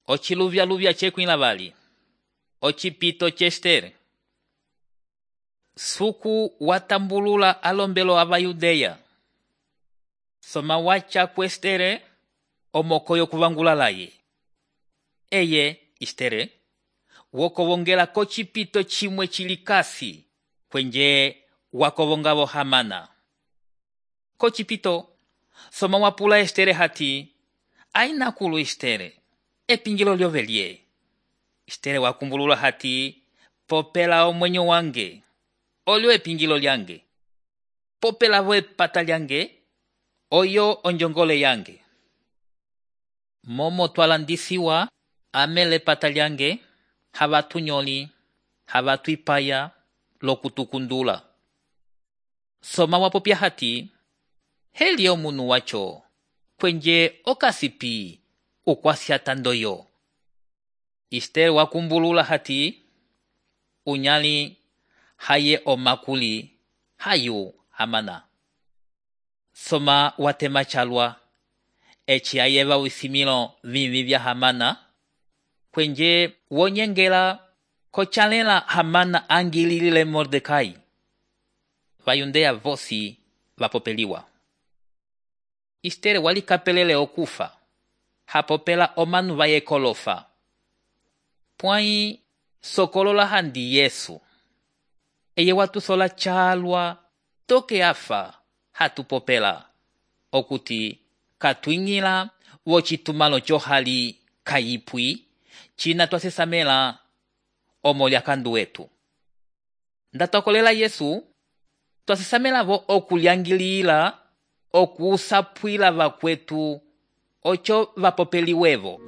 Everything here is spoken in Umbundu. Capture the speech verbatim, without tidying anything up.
Ociluvyaluvya cekwila vali. Ocipito cestere. Suku watambulula alombelo ava Yudeya. Soma wacha kwestere omokoyo kuvangula laye. Eye, istere, wokovongela kocipito chimwe chilikasi kwenje wakovongavo Hamana. Kocipito, soma wapula estere hati, aina kulu istere, epingilo lyovelie. Istere wakumbulula hati, popela omwenyo wange, olyo epingilo lyange. Popela vo epata lyange, oyo onjongole yange. Momo twalandisiwa amele pata lyange, havatu nyoli, havatu ipaya, lokutukundula. Soma wapopya hati, heli omunu wacho, kwenje okasipi, ukwasiatandoyo. Istere wakumbulula hati, unyali haye omakuli, hayu Hamana. Soma watema chalwa, echi ayeva wisimilo vivi vya Hamana, kwenje wonyengela kochalela Hamana angililile Mordekai. Vayundeya vosi vapopeliwa. Istere walikapelele okufa, hapopela omanu vayekolofa. Pwai sokolola handi Yesu. Eye watu sola chalwa, toke afa, hatupopela. Okuti, katuingila, wochitumalo johali kayipwi, china twasesamela, omolya kandu wetu. Ndatokolela Yesu, twasesamela vo okulyangilila, okusapwila vakwetu, ocho vapopeliwevo.